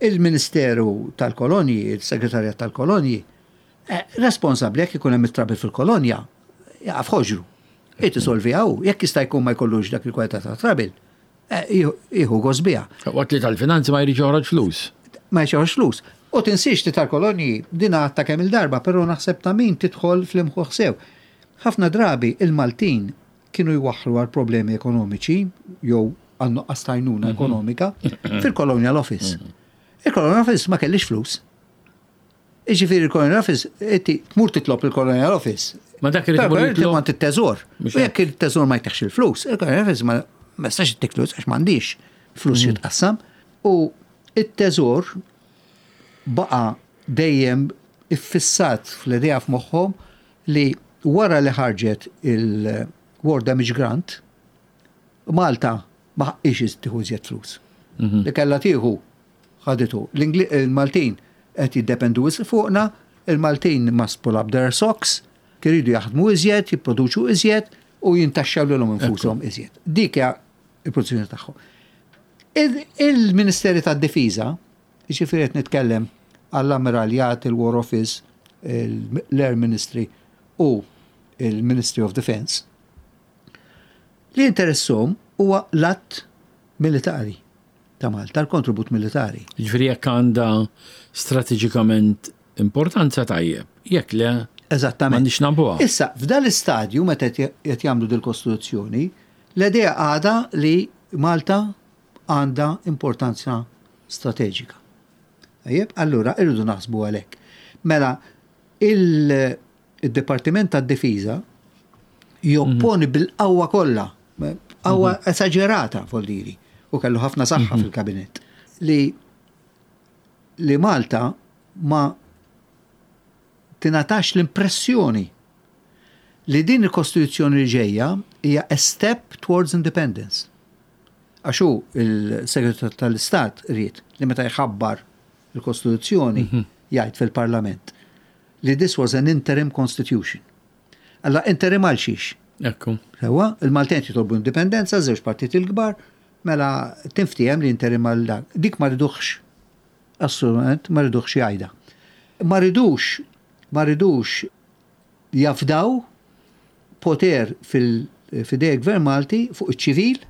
il-Ministeru tal-Kolonji, il-Segretarjat tal-Kolonji, eh, responsabbli jekk ikun hemm it-trouble fil-kolonja, jaqaf ħoġru. Irid isolvi hu, jekk jista' jkun ma jkollux dak il-kwalità ta' trouble, eh, jieħu jieħu gost biha. Waqt li tal-finanzi ma jridx joħroġ flus. Ma jxorx flus. U tinsix li tal-kolonji dina ta' kemm il-darba, però naħseb ta' min tidħol fl-imħuħ sew. Ħafna drabi il-Maltin kienu jwaħħlu għal problemi ekonomiċi jew għal nuqqas t'għajnuna ekonomika fil-Colonial Office. Il-Colonial Office ma kellix flus. Iġifieri il-Colonial Office, inti tmur titlob il-Colonial Office. Ma dak irid Però imur inti jitlob- mant it-teżor. Mhux U jekk il-teżor ma jtiekx il-flus, il-Colonial Office ma ma jistax jtik flus għax m'għandix flus jitqassam. U it-teżor baqa dejjem iffissat fl-idea f'moħħhom li wara li ħarġet il-War Damage Grant, Malta ma ħaqix tieħu iżjed flus. Li kellha tieħu ħaditu. L-Ingli- Il-Maltin qed jiddependu wisq fuqna, il-Maltin must pull up their socks, iridu jaħdmu iżjed, jipproduċu iżjed u jintaxxaw lilhom infushom iżjed. Dik hija il-produzzjoni tagħhom. Il- Il-Ministeri tad-Difiża, jiġifieri qed nitkellem għall-Ammiraljat, il-War Office, l-Air Ministry u il-Ministry of Defense, li interessahom huwa l-att militari ta' Malta, l-kontribut militari. Ġifieri jekk għandha strateġikament importanza, tajjeb. Jekk le, Eżattament. m'għandix nagħbuha. Issa, f'dal istadju meta qed jagħmlu dil-Kostituzzjoni, l-idea għadha li Malta għandha importanza strateġika. Tajjeb, allura irridu naħsbu għalhekk. Mela, il-Dipartiment tad-Difiża jopponi bil-qawwa kollha, qawwa esaġerata voldiri, u kellu ħafna saħħa fil-kabinett, li li Malta ma tingħatax l-impressjoni li din il-Kostituzzjoni li ġejja hija a step towards independence. Għax hu il-Segretarju tal-Istat ried li meta jħabbar il-Kostituzzjoni jgħid fil-Parlament li this was an interim constitution. Alla interim għal xiex? Ekku. Sewa, il-Maltin jitolbu indipendenza, żewġ partiti l-kbar, mela tinftiehem li interim għal dak. Dik ma riduhx. Assolutament ma riduhx jgħidha. Ma ridux, ma ridux jafdaw poter fil-fidej gvern Malti fuq iċ-ċivil,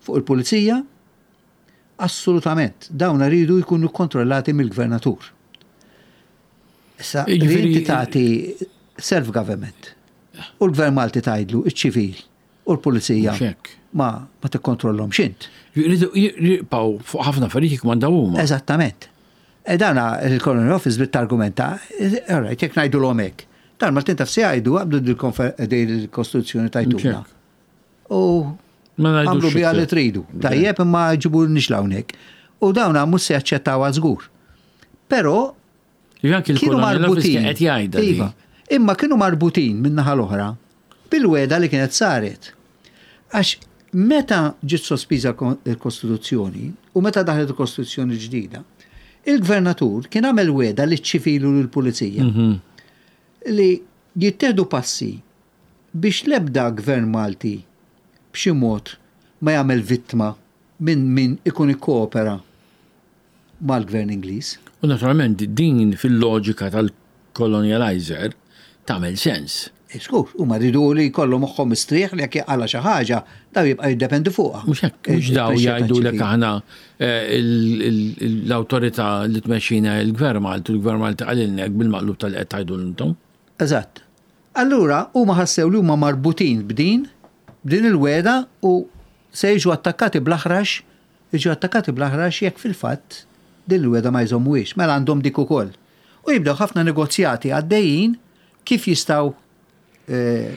fuq il-pulizija, assolutament. Dawn ridu jkunu kontrollati mill-gvernatur. Issa, li Jiġifieri- inti tagħti self-government u l-gvern Malti tgħidlu iċ-ċivil u l-pulizija Mhux hekk. ma ma tikkontrollhom xint. Jridu jibqgħu fuq ħafna affarijiet jikmandaw huma. Eżattament. E dana il-Colonial Office bit-argumenta, all right, jekk ngħidu l hekk. Dan Maltin taf se jgħidu għabdu dil-Kostituzzjoni tajtuna. Mhux U Ma ngħidux għamlu biha li iktar. tridu. Tajjeb imma ġibu nix hawnhekk. U dawna mhux se jaċċettawha żgur. Però Anki kienu il-Colonial Office marbutin. kien qed jgħidha di. Iva. Imma kienu marbutin min-naħa l-oħra bil-weda li kienet saret. Għax meta ġiet sospiża il-Kostituzzjoni u meta daħlet il-Kostituzzjoni ġdida, il-gvernatur kien għamel weda li ċivilu l-pulizija Mhm. li jittieħdu passi biex lebda gvern Malti b'xi mod ma jagħmel vittma minn min ikun ikkoopera mal-gvern Ingliż. U naturalment din fil-loġika tal-colonializer tagħmel sens. Żgur, huma ridu li jkollu moħħhom mistrieħ li jekk jaqala xi ħaġa, daw jibqa' jiddependi fuqha. Mhux hekk, mhux daw jgħidu lek aħna eh, il- il- l-awtorità li tmexxina il-Gvern Malti, u l-Gvern Malti qalilna hekk bil-maqlub tal-qed tgħidu intom. Eżatt. Allura huma ħassew li huma marbutin b'din, b'din il-weda u se jiġu attakkati bl-aħrax, jiġu attakkati bl-aħrax jekk fil-fatt din il-weda ma jżommuhiex, mela għandhom dik ukoll. U jibdew ħafna negozjati għaddejjin kif jistgħu eh,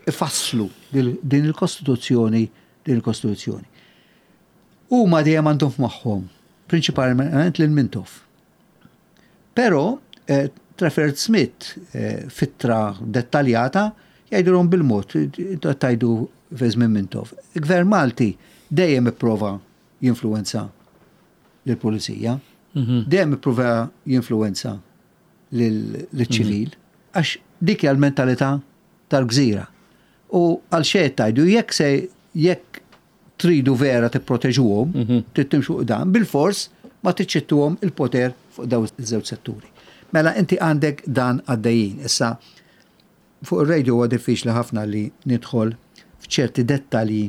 ifasslu dil- din il-Kostituzzjoni, din il-Kostituzzjoni. Huma dejjem għandhom f'moħħhom, prinċipalment lil Mintoff. Però eh, Trafford Smith eh, f'ittra dettaljata jgħidulhom bil-mod, tajdu fi żmien Mintoff. Il-Gvern Malti dejjem ipprova jinfluwenza lill-pulizija, dejjem ipprova jinfluwenza lill-ċivil, għax dik hija l-mentalità tal-gżira. U għal xejn tajdu jekk se jekk tridu vera tipproteġuhom, trid timxu dan, bil-fors ma tiċċittuhom il-poter fuq daw iż-żewġ setturi. Mela inti għandek dan għaddejjin. Issa fuq ir-radio huwa diffiċli ħafna li nidħol f'ċerti dettalji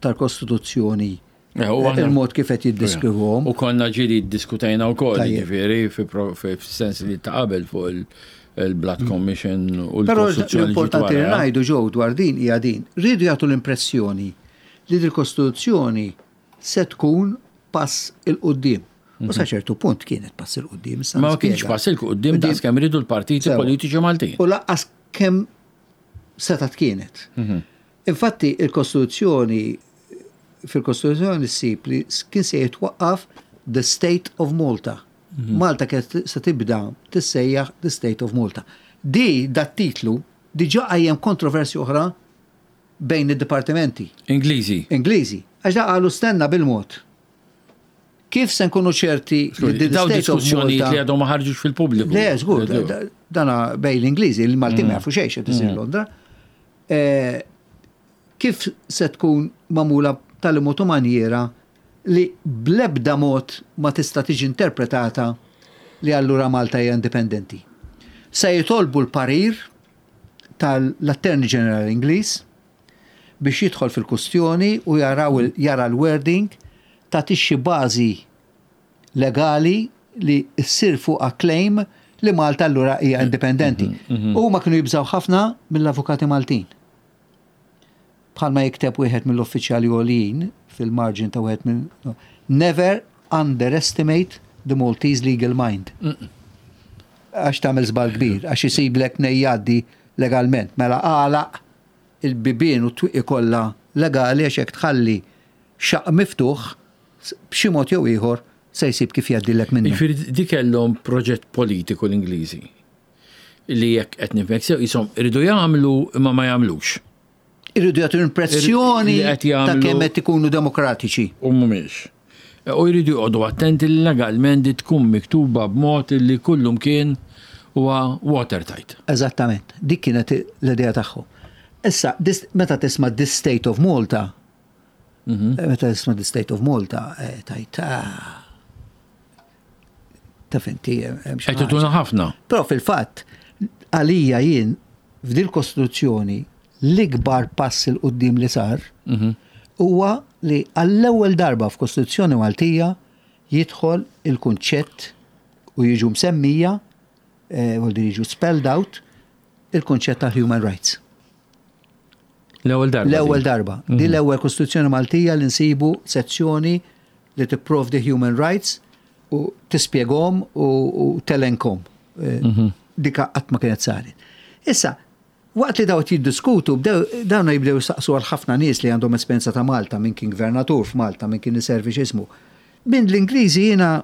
tal-Kostituzzjoni Eh, u aħna- il-mod kif qed jiddeskrivuhom. U konna ġieli diskutajna wkoll, Tajjeb. ġifieri, fi pro- fi sens li ta' qabel fuq il- il-Blood Commission u Però l-Kostituzzjoni. l-importanti li ġiet wara. ngħidu ġew dwar din hija din. Rridu jagħtu l-impressjoni li dil-Kostituzzjoni se tkun pass 'il quddiem. U sa ċertu punt kienet pass 'il quddiem. issa Ma kienx nispjega. pass 'il quddiem daqs kemm ridu l-partiti Sewa. politiċi Maltin. U lanqas kemm setat kienet. Infatti il-Kostituzzjoni fil-Kostituzzjoni ssib li kien se jitwaqqaf the State of Malta. Malta kienet se tibda tissejjaħ the State of Malta. Di dat titlu diġà qajjem kontroversji oħra bejn id-dipartimenti Ingliżi. Ingliżi. Għax da qalu stenna bil-mod. Kif se nkunu ċerti li the Daw State of diskussjonijiet Malta li għadhom ma ħarġux fil-pubbliku. Le, żgur, da- dana bejn l-Ingliżi, il-Malti ma jafu xejn x'qed isir Londra. Eh, Kif se tkun magħmula tal mod u manjiera li blebda mod ma tista' tiġi interpretata li allura Malta hija indipendenti. Se jitolbu l-parir tal-Attorney General Ingliż biex jidħol fil-kustjoni u jaraw il- jara l-wording ta' tixxi bażi legali li ssir fuqha claim li Malta allura hija indipendenti. U ma kienu jibżaw ħafna mill-avukati Maltin. Bħalma jikteb wieħed mill-uffiċjali għoljin fil-margin ta' wieħed minn "Never underestimate the Maltese legal mind." Għax tagħmel żball kbir, għax isiblek mnejn jgħaddi legalment. Mela għalaq il-bibien u twieqi kollha legali, għax jekk tħalli xaq miftuħ, b'xi mod jew ieħor se jsib kif jgħaddilek minnu. Jiġifieri di kellhom proġett politiku l-Ingliżi. Li jekk qed nifhmek sew jisom iridu jagħmlu imma ma jagħmlux. Irridu jagħtu impressjoni Li qed ta' jagħmlu- kemm qed ikunu demokratiċi. U mhumiex. U jridu joqogħdu attenti li legalment di tkun miktuba b'mod li kullum kien huwa watertight. Eżattament, dik kienet l-idea tagħhom. Issa, this, meta tisma' "This State of Malta", meta tisma' "This State of Malta", eh, tgħid, ah, taf inti, hemm xi Qed ħaġa. ituna ħafna. Però fil-fatt, għalija jien, f'dil kostituzzjoni, l-ikbar pass 'il quddiem li sar huwa li għall-ewwel darba f'Kostituzzjoni Maltija jidħol il-kunċett u jiġu msemmija, eh, vuol dire jiġu spelled out, il-kunċett tal-human rights. L-ewwel darba. L-ewwel di. darba. Di l-ewwel Kostituzzjoni Maltija li nsibu sezzjoni li tipprovdi human rights u tispjegahom u, u telenkhom. Eh, Dika qatt ma kienet saret. Issa, waqt li daw jiddiskutu, bdew dawn jibdew saqsu għal ħafna nies li għandhom esperjenza ta' Malta, minn kien gvernatur f'Malta, minn kien iservi x'ismu. Minn l-Ingliżi jiena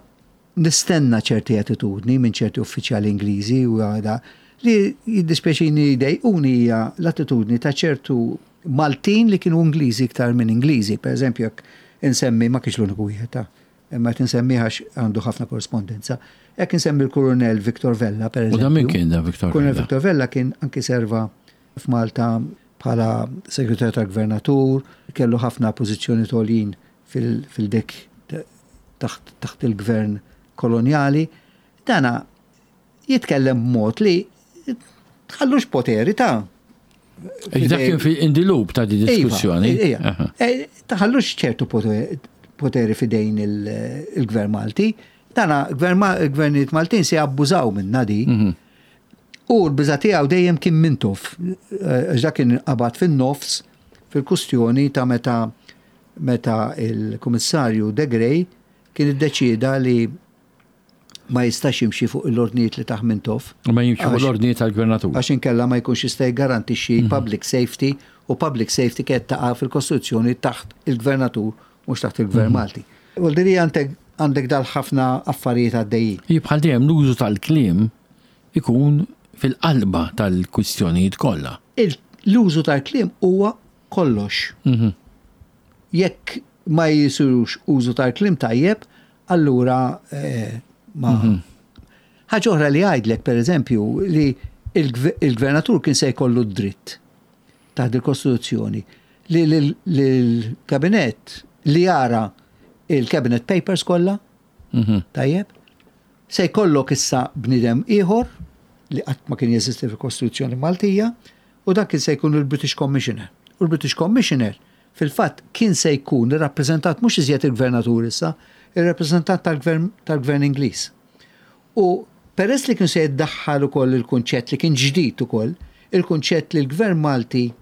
nistenna ċerti attitudni minn ċerti uffiċjali Ingliżi u għada li jiddispjaċini jdejquni hija l-attitudni ta' ċertu Maltin li kienu Ingliżi iktar minn Ingliżi. Per eżempju, jekk insemmi, ma kienx l-uniku wieħed ta' imma qed insemmi għax għandu ħafna korrespondenza. Jekk insemmi l-Kurunell Victor Vella, per U eżempju. da min kien da Victor Kurunell Vella? Victor Vella kien anki serva f'Malta bħala segretarju tal-gvernatur, kellu ħafna pożizzjoni għoljin fil-dek taħt taħt il-gvern koloniali. Dana jitkellem b'mod li tħallux poteri ta' Dak kien fi in the loop ta' di diskussjoni. Iva, Aha. eh, Taħallux ċertu poteri- poteri fidejn il- il-gvern Malti. Dana gvern Ma- il-gvernijiet Maltin se jabbużaw minna di. Mhm. U l-biża tiegħu dejjem kien Mintoff, eh, għax dak kien qabad fin-nofs fil-kustjoni ta' meta meta il-Kummissarju De Grey kien iddeċieda li ma jistax jimxi fuq l-ordnijiet li tah Mintoff. U ma jimxi fuq Għax- l-ordni tal-gvernatur. Għax inkella ma jkunx jista' jgarantixxi public safety, u public safety kienet taqa' fil-Kostituzzjoni taħt il-gvernatur, mhux taħt il-gvern Malti. Vuol dire għandek għandek dal ħafna affarijiet għaddejjin. Bħal dejjem l-użu tal-kliem ikun fil-qalba tal-kwistjonijiet kollha. Il- L-użu tal-kliem huwa kollox. Mhm. Jekk ma jisirux użu tal-kliem tajjeb, allura eh, ma. Ħaġa oħra li għajdlek, per eżempju, li il-gve- il-gvernatur kien se jkollu dritt taħt il-Kostituzzjoni li l-kabinet li jara il-cabinet papers kollha, Mhm. tajjeb, se jkollok issa bnidem ieħor li qatt ma kien jeżisti fil-Kostituzzjoni Maltija, u dak kien se jkun il-British Commissioner. U l-British Commissioner fil-fatt kien se jkun ir-rappreżentant, mhux iżjed il-gvernatur issa, ir-rappreżentant tal-gvern tal-gvern Ingliż. U peress li kien se jiddaħħal ukoll il-kunċett li kien ġdid ukoll, il-kunċett li l-gvern Malti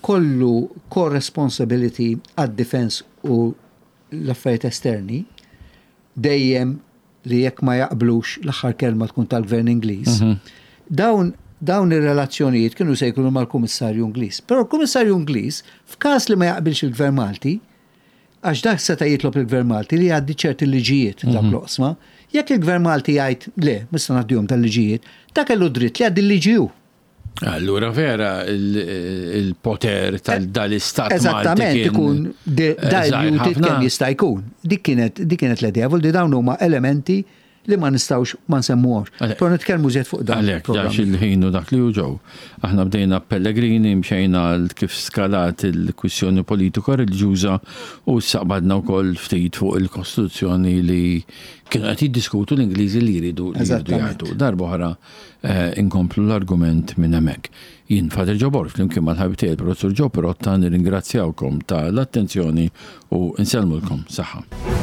kollu co-responsibility għad-defense u l-affarijiet esterni, dejjem li jekk ma jaqblux l-aħħar kelma tkun tal-gvern Ingliż. Dawn dawn ir-relazzjonijiet kienu se jkunu mal-Kummissarju Ingliż. Però l-Kummissarju Ingliż, f'każ li ma jaqbilx il-Gvern Malti, għax dak seta' jitlob il-Gvern Malti li jgħaddi ċerti liġijiet dak l-oqsma, jekk il-Gvern Malti jgħid le, mista ngħaddihom tal-liġijiet, dak kellu dritt li jgħaddi l-liġi hu. Allura vera il-poter tal-istat Malti Eżattament, kien ikun eh, żgħir diluted ħafna. kemm jista' jkun. Dik kienet dik kienet l-idea, vuol dire dawn huma elementi li ma nistgħux ma nsemmuhomx. Għalhekk- Però nitkellmu żjed fuq dan. Għalek, il-programm. dax il-ħin u dak li ġew. Aħna bdejna Pellegrini, mxejna l- kif skalat il-kwistjoni politika reliġjuża u saqbadna wkoll ftit fuq il-Kostituzzjoni li kienu qed jiddiskutu l-Ingliżi li jridu li jridu Eżattament. jgħidu. Darba oħra eh, inkomplu l-argument minn hemmhekk. Jien Father Joe Borg, flimkien mal-ħabib tiegħi il-Professur Joe Pirotta, nirringrazzjawkom tal-attenzjoni u nsellmulkom saħħa.